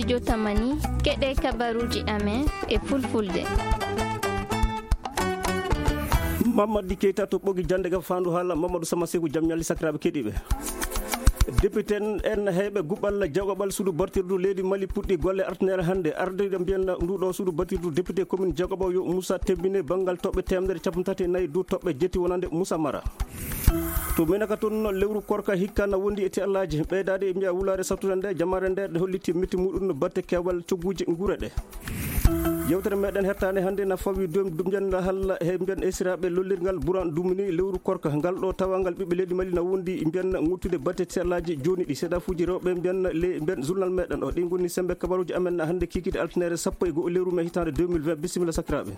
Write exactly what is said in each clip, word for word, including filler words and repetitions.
Jotamani, keɗe kabaruji amen e fulfulde. Mamadi Keita to ɓogi jande ga fandu hala Mamadou Sama Seku, jam ñalli sakiraɓe keɗiɓe. Député en, en heyɓe guɓal jagoɓal suudu batirdu leydi Mali puɗɗi golle artinere hannde. Arde mbiyen nduɗo suudu batirdu député commune jagoɓo yo Moussa Tembine banngal toɓɓe temedere capanɗe tati e nayi du toɓɓe jetti wonande Moussa Mara. To Menaka toon, lewru korka hikka na wondi e tellaji. Ɓeydaade e mbiya wulaare sattude nde, jamaare nde, ɗe holliti metti muɗum no batte keewal cogguji nguure ɗe. Yewtere meɗen hettaande hannde na fawi dum-, dumjan halla he mbiyan esiraaɓe lollirgal Buran Dumini lewru korka ngal ɗo tawangal ɓiɓɓe leydi Mali na wondi mbiyan ŋuttude batte tellaji jooni ɗi seeɗa fuuji rewɓe mbiyan le mbiyan journal meɗen o. Ɗi ngoni sembe kabaruji amen hannde kikide altinere sappo e go'o lewru me hitaande deux mille vingt. Bisimilla sakiraaɓe.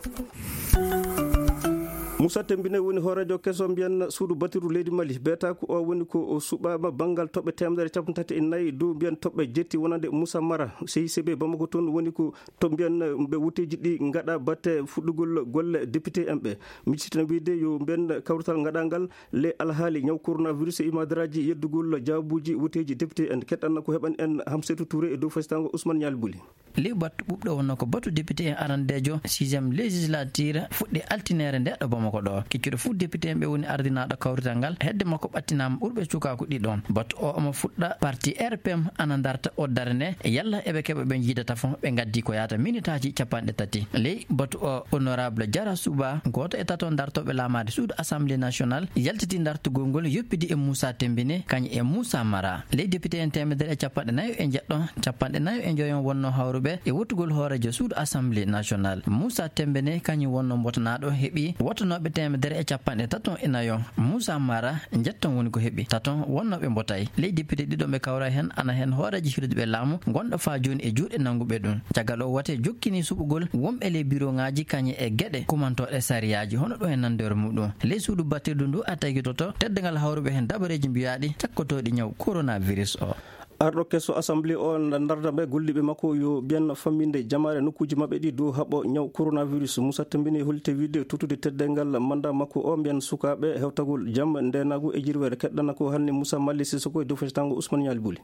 Moussa Tembine woni hooreejo keso mbiyan suudu batirdu leydi Mali. Beetaaku o woni ko o suɓaama banngal toɓɓe temedere capanɗe tati e nayi dow mbiyan toɓɓe jetti wonande Moussa Mara. C I C B Bamako toon woni ko to mbiyan ɓe wutteeji ɗi ngaɗa batte fuɗɗugol golle député en ɓe. Miccitana wiyde yo mbiyan kawrital ngaɗangal le alhaali ñaw coronavirus e imadaraaji yeddugol jaabuuji wutteeji député en. Keɗɗanna ko heɓan en Hamsetou Touré e dow fasitango Ousmane Ñaali Buli. Ley batu ɓuuɓɗo wonno ko batu député en arandeejo sixième législature fuɗɗi altinere nde ɗo Bamako ɗo. Keccuɗo fuu député en ɓe woni ardinaaɗo kawrital ngal. Hedde makko ɓattinaama ɓurɓe cukaaku ɗiɗon. Batu o omo fuɗɗa parti R P M ana darta o darne yalla eɓe keɓa ɓe njiida tafo ɓe ngaddi ko yaata minitaaji capanɗe tati. Ley batu o honorable Jara Suba, gooto e tato dartooɓe laamaade suudu Assemblée nationale, yaltiti dartugol ngol yoppidi e Moussa Tembine kañ e Moussa Mara. Ley député en temedere e capanɗe nayo e jeɗɗo, capanɗe nayo e njoyon wonno hawruɓe e wottugol hooreejo suudu Assemblée nationale. Moussa Tembene kañum wonno mbotanaaɗo heɓi wotanooɓe temedere e capanɗe tato e nayo. Moussa Mara njetton woni ko heɓi taton wonnooɓe mbotay. Ley député ɗiɗo ɓe kawra heen ana heen hooreejo hirduɓe laamu ngonɗo faa jooni e juuɗe nannguɓe ɗum. Caggal o wote jokkini suɓugol wonɓe ley biroŋaaji kañe e geɗe kumantooɗe sariyaaji hono ɗum e nanndere muɗum. Ley suudu battirdu ndu a tagitoto teddungal hawruɓe heen dabareeji mbiyaaɗi cakkotooɗi ñaw coronavirus o. Arɗo keso Assemblée o ndarda mbe golliiɓe makko yo ɓiyan famminde jamaare nokkuuji maɓɓe ɗi dow haɓo ñaw coronavirus. Moussa Tembini holliti wiide tottude teddungal manda makko o mbiyan sukaaɓe hewtagol jam, ndeenaagu e jirwere. Keɗɗana ko hannde Moussa Mali Sissoko e dow feccitango Ousmane Ñaali Buli.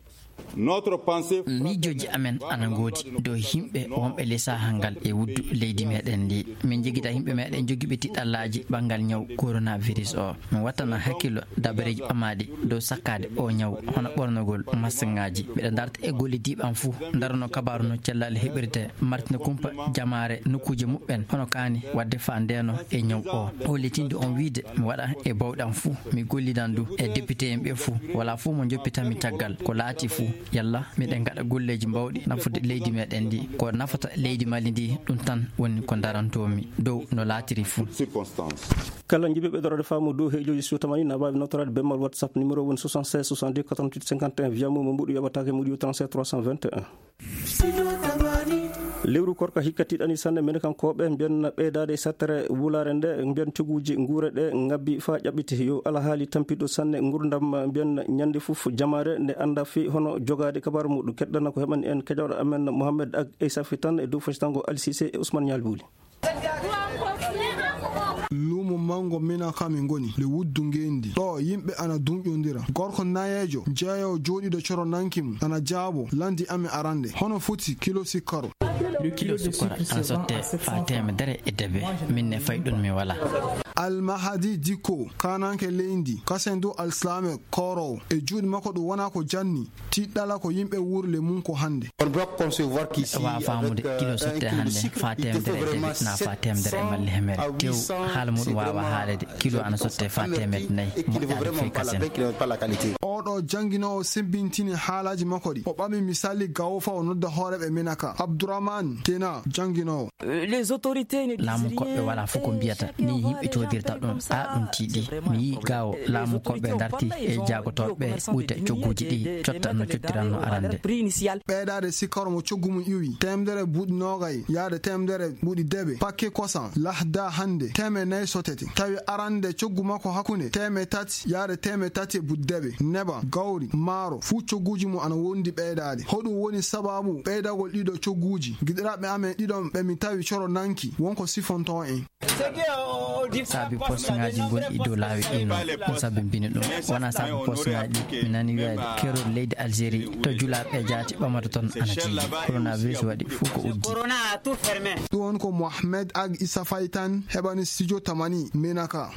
Miijooji amen ana ngoodi dow yimɓe wonɓe ley saha ngal e wuddu leydi meɗen ndi. Min jogita yimɓe meɗen jogiiɓe tiɗɗallaaji ɓanngal ñaw coronavirus o. Min wattana hakkillo dabareeji ɓamaaɗi dow sakkaade o ñaw, hono ɓornogol masiŋaaji. Miɗa darta e gollidiiɓe am fuu, darano kabaaru no cellal heɓirte, martina kumpa jamaare nokkuuje muɓɓen, hono kaani waɗde faa ndeeno e ñaw o. Hollitinde on wiide mi waɗa e bawɗe am fuu, mi gollidan du e député en ɓe fuu. Walaa fuu mo njoppitanmi caggal. Ko laati fuu, yalla miɗen ngaɗa golleeji mbawɗi nafude leydi meɗen ndi. Ko nafata leydi Mali ndi, ɗum tan woni ko darantoomi dow no laatiri fuu. Kala jiɗɗo ɓeydorade faamu dow heejooji so tamani na waawi nawtoraade bemmal WhatsApp numéro woni soixante-seize soixante-deux quatre-vingt-huit cinquante et un, via mo mo mbuɗu yoɓataake mbuɗu trente-sept trois cent vingt et un. Lewru korka hikka tiiɗani sanne men kankooɓe mbiyan ɓeydaade e sattere wulaare nde mbiyan coguuji nguure ɗe ngabbi faa ƴaɓɓiti. Yo alhaali tampiɗo sanne ngurdam mbiyan ñande fof jamaare nde annda fii hono jogaade kabaaru muɗum. Keɗɗana ko heɓani en keƴooɗo amen Mohamed Ag Eysafi tan e dow fasitango Ali Sise e Ousmane Ñaali Buli. Luumo manngo Minaka mi ngoni, le wuddu ngeenndi. Ɗo yimɓe ana duñƴondira. Gorko nayeejo, jeeyo jooɗiiɗo coro nanki mum, ana jaabo, lanndi amen arande. Hono foti kilo sikkaro? Kilo sukkara ana sotte faa teemedere e debe. Min ne fay ɗun mi walaa. Almahadi Dikko, kaananke leydi, kasen du alsilaame kooroowo. E juuɗe makko ɗum wonaa ko janni. Tiiɗɗala ko yimɓe wuurle mum ko hannde. Waawa faamude kilo sotte hannde faa teemedere e debe naa faa teemedere e malli hemere. Tew haala muɗum waawa haalede. Kilo ana sotte faa teemedere nayi. Moƴƴaade fii kasen. Oɗo jannginoowo semmbintini haalaaji makko ɗi. O ɓami misali gawo faa o nodda hooreeɓe Minaka. Abdourahmane Kena, jannginoowo. Laamu koɓɓe walaa fof ko mbiyata ni yimɓe coodirta ɗum. A ɗum tiiɗi. Mi yii gawo laamu koɓɓe darti e jaagotooɓe ɓe ɓuyta cogguuji ɗi cotta no cottiranno arande. Ɓeydaade sikkaro mo coggu mum iwi teemedere buuɗi noogay yaade teemedere buuɗi debe pakke kosan lahda hannde teemedere nayi sotete. Tawi arande coggu makko hakkunde teemedere tati yaade teemedere tati e buuɗi debe. Neba, gawri, maaro, fuu cogguuji mum ana wondi ɓeydaade. Hoɗum woni sabaabu ɓeydagol ɗiɗo cogguuji? Giɗiraaɓe amen ɗiɗon ɓe mi tawi coro nanki, won ko sifontoo en. Saabi posŋaaji ngonɗi dow laawi ɗum noon, ko sabi mbini ɗum. Wonaa saabi posŋaaji ɗi. Mi nani wiyaade keerol leydi Algérie to julaaɓe e jaati ɓamata toon ana tiiɗi. Coronavirus waɗi fof ko uddi. Ɗum woni ko Mohamed Ag Issa Faye tan heɓani studio Tamani Menaka.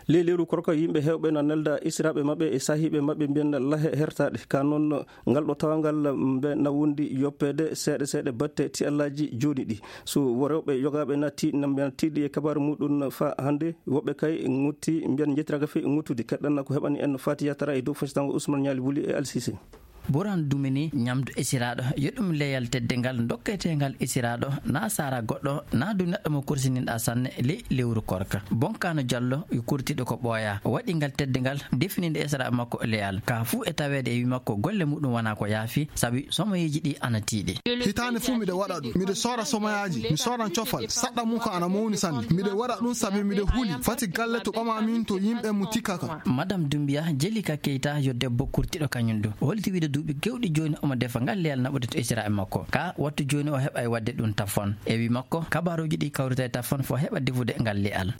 Ley lewru korka, yimɓe heewɓe na nelda esiraaɓe maɓɓe e saahiiɓe maɓɓe, mbiyen lahe hertaaɗe. Ka noon, ngal ɗo tawangal mbe na wondi yoppeede seeɗa seeɗa batte tiallaaji jooni ɗi. So wo rewɓe yogaaɓe na ti-, na mbiyen tiiɗi e kabaaru muɗum fa hannde, woɓɓe kay ŋutti mbiyen njettiraka fe ŋuttude. Keɗɗan ko heɓani en Fatiya Tara e dow fasitango Ousmane Ñaali Wuli e Alsise. Boran Dumini, ñamdu esiraaɗo, yo ɗum leyal teddingal dokketeengal esiraaɗo, na saara goɗɗo, na du neɗɗo mo kursininɗa sanne ley lewru korka. Bonkano Jallo, yo kurtiɗo ko ɓooya, waɗi ngal teddingal, defininde esiraaɓe makko leyal. Ka fuu e taweede e wi makko, golle muɗum wona ko yaafi, sabi somoyeeji ɗi ana tiiɗi. Hitaande fuu miɗo waɗa ɗum. Miɗo soora somoyaaji, mi sooran cofal. Saɗɗa mum ko ana mawni sanne. Miɗo waɗa ɗum sabi miɗo huli. Fati galle to ɓama min to yimɓe mo tikkaka. Madame Doumbia, Jelika Keita, yo debbo kurtiɗo kañum du. O holti wiide duuɓi kewɗi jooni omo defa ngal leyal naɓude to esiraaɓe makko. Ka wattu jooni o heɓay waɗde ɗum tafon. E wi makko, kabaruuji ɗi kawrita e tafon fof heɓa defude ngal leyal.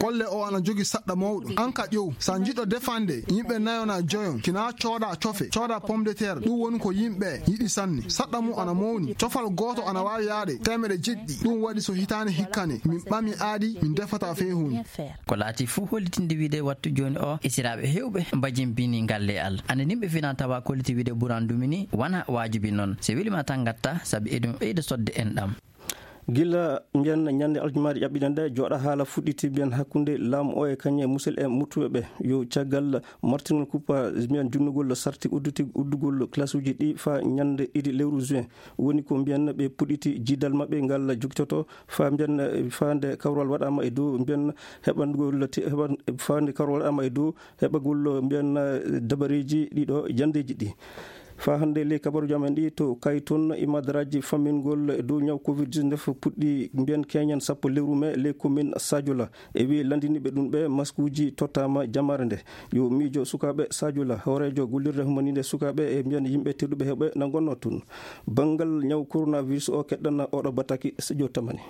Golle o ana jogi saɗɗa mawɗo. An ka ƴeew, sa jiɗɗo defande, yimɓe nayo na joyon. Kina cooda cofe, cooda pomme de terre. Ɗum woni ko yimɓe yiɗi sanne. Saɗɗa mum ana mawni. Cofal gooto ana waawi yaade teemeɗe jeɗɗi. Ɗum waɗi so hitaande hikkane, min ɓami aadi, min defata fey huunde. Ko laati fuu hollitinde wiide wattu jooni o, esiraaɓe heewɓe mbajimbini ngal leyal. Ande nimɓe fina tawa kolliti wiide Boran Dumini wona waajibi noon. So welima tan ngatta, sabi eɗum ɓeyda sodde enɗam. Gila mbiyen ñande aljumaare ƴaɓɓiɗen nde, jooɗa haala fuɗɗiti mbiyen hakkunde laamu o e kañum e musidɓe muttuɓe ɓe. Yo caggal martingol kuppa mbiyen junnugol sarti udduti-, uddugol classe uji ɗi fa ñande ɗiɗi lewru juin. Woni ko mbiyen ɓe puɗɗiti jiidal maɓɓe ngal jogitoto fa mbiyen, eh, fa nde kawral waɗama e dow mbiyen heɓangol ti-, heɓan-, fa nde kawral waɗama e dow heɓagol mbiyen, eh, dabareeji ɗiɗo jandeeji ɗi. Fa hannde ley kabaruuji amen ɗi to Kayton, imadaraaji fammingol e dow ñaw covid dix-neuf puɗɗi mbiyen keñen sappo lewru me ley commune Sadiola. E wiye lanndiniiɓe ɗum ɓe maskuuji tottaama jamaare nde. Yo miijo sukaaɓe Sadiola, hooreejo gollirde humaniinde sukaaɓe e mbiyen yimɓe tedduɓe heɓe na ngonnoo toon. Banngal ñaw coronavirus o keɗɗana oɗo bataki studio Tamani.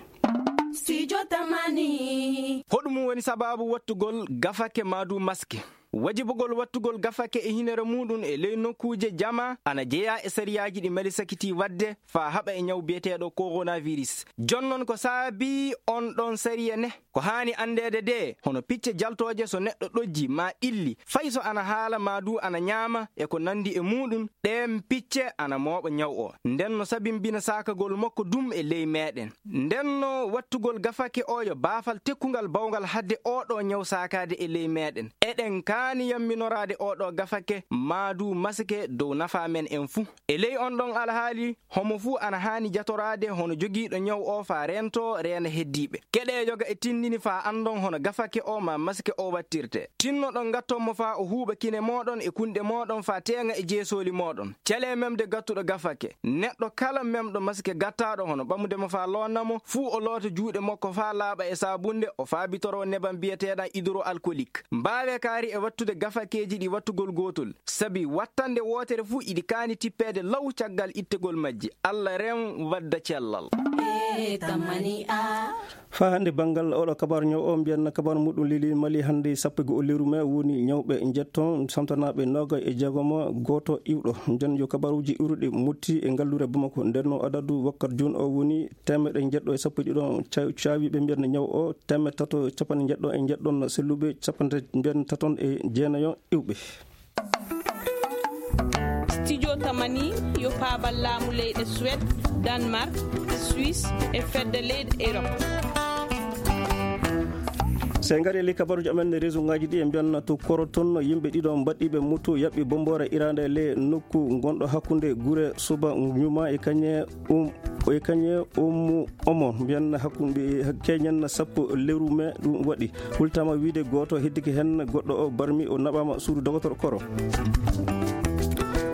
Studio Tamani. Hoɗum woni sabaabu wattugol gafake maa du maske? Wajibugol wattugol gafake e hinere muɗum e ley nokkuuje jama ana jeyaa e sariyaaji ɗi Mali sakiti waɗde faa haɓa e ñaw biyeteeɗo coronavirus. Jonnon ko saabii on ɗon sariya ne? Ko haani anndeede de, hono picce jaltooje so neɗɗo ɗojji maa ɓilli, fay so ana haala maa du ana ñaama e ko nanndi e muɗum, ɗeen picce ana mooɓa ñaw o. Nden no sabimbina saakagol makko dum e ley meeɗen. Nden no wattugol gafake o yo baafal tekkungal bawngal hadde oo ɗoo ñaw saakaade e ley meeɗen. Eɗen kaani yamminoraade oo ɗoo gafake maa du masake dow nafaa men en fuu. E ley on ɗon alhaali, homo fuu ana haani jatoraade hono jogiiɗo ñaw o faa reentoo reena heddiiɓe. Keɗee yoga e tinndini faa anndon hono gafake o maa masake o wattirtee. Tinnoɗon ngatton mo faa o huuɓa kine mooɗon e kunɗe mooɗon faa teeŋa e jeesooli mooɗon. Calee memde gattuɗo gafake. Neɗɗo kala memɗo masake gattaaɗo hono ɓamude mo faa loonna mo, fuu o loota juuɗe makko faa laaɓa e saabunde, o faabitoroo nebam biyeteeɗam hydroalcoolique. Mbaawee kaari e wattude gafakeeji ɗi wattugol gootol, sabi wattande wootere fuu iɗi kaani tippeede law caggal ittegol majji. Alla rem wadda cellal. Faa hannde banngal oɗo kabaaru ñaw o, mbiyen kabaaru muɗum lili Mali hannde sappo e go'o lewru me woni ñawɓe njetton, samtanaaɓe noogay e jeegom, gooto iwɗo. Nden yo kabaaruuji iwruɗi motti e ngalluure Bamako. Nden no adadu wakkat jooni o woni teemeɗɗe njeɗɗo e sappo e ɗiɗo ca-, caawiiɓe mbiyen ñaw o, teemeɗɗe tato capanɗe njeɗɗo e njeɗɗon selluɓe, capanɗe mbiyen taton e jeenayo iwɓe. Studio Tamani yo paabal laamu leyɗe Suède, Danemark, Suisse e fedde leyɗe Europe. So en ngarii e ley kabaruuji amen, réseau ngaaji ɗi e mbiyan to Koroton, yimɓe ɗiɗo mbaɗɗiiɓe moto yaɓɓi bommboore iraande e ley nokku ngonɗo hakkunde gure Suba Ñuma e kañe um, e kañe Ummu Omo, mbiyan hakkunde keñen sappo lewru me ɗum waɗi. Hultama wiide gooto heddike heen, goɗɗo o barmi, o naɓama suudu dogotoro koro.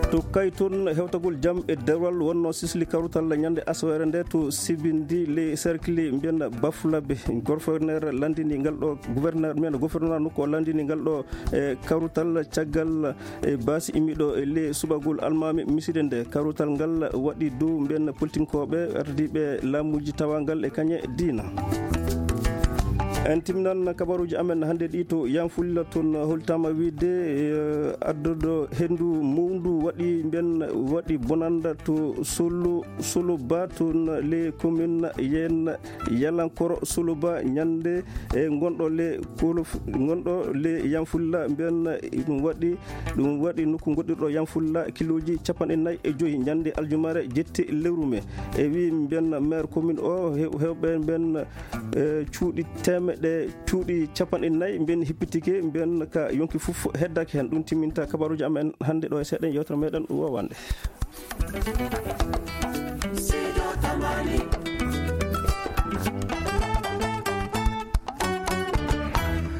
To Kayton, hewtagol jam e dewal wonno sisli kawrutal ñande asawere nde to Sibindi, le cercle mbiyen Bafulabe. Gouverneur landini ngal ɗo, gouverneur men, gouverneur nokku o landini ngal ɗo e kawrutal caggal e baasi immiɗo e le suɓagol almaami miside nde. Kawrutal ngal waɗi dow mbiyen politinkooɓe, ardiiɓe laamuuji tawangal e kañe diina. En timnan kabaruuji amen hannde ɗi to Yanfulla. Toon holtaama wiide, eh, adduɗo henndu mawndu waɗi mben, waɗi bonannda to Solo, Soloba, toon le commune yen Yalankoro Soloba, ñande, eh, ngonɗo le Kolof, ngonɗo le Yanfulla mben, ɗum waɗi, ɗum waɗi nokku goɗɗirɗo Yanfulla kilooji capanɗe nayi e joyi ñande aljumare jetti lewru me. E wi mben maire commune o, hew-, hewɓe mben, eh, cuuɗi temeɗe, cuuɗi capanɗe nayi mben hippitike, mben ka yonki fof heddaki hen. Ɗum timminta kabaruuji amen hannde ɗo e seeɗa yewtere meɗen wowande.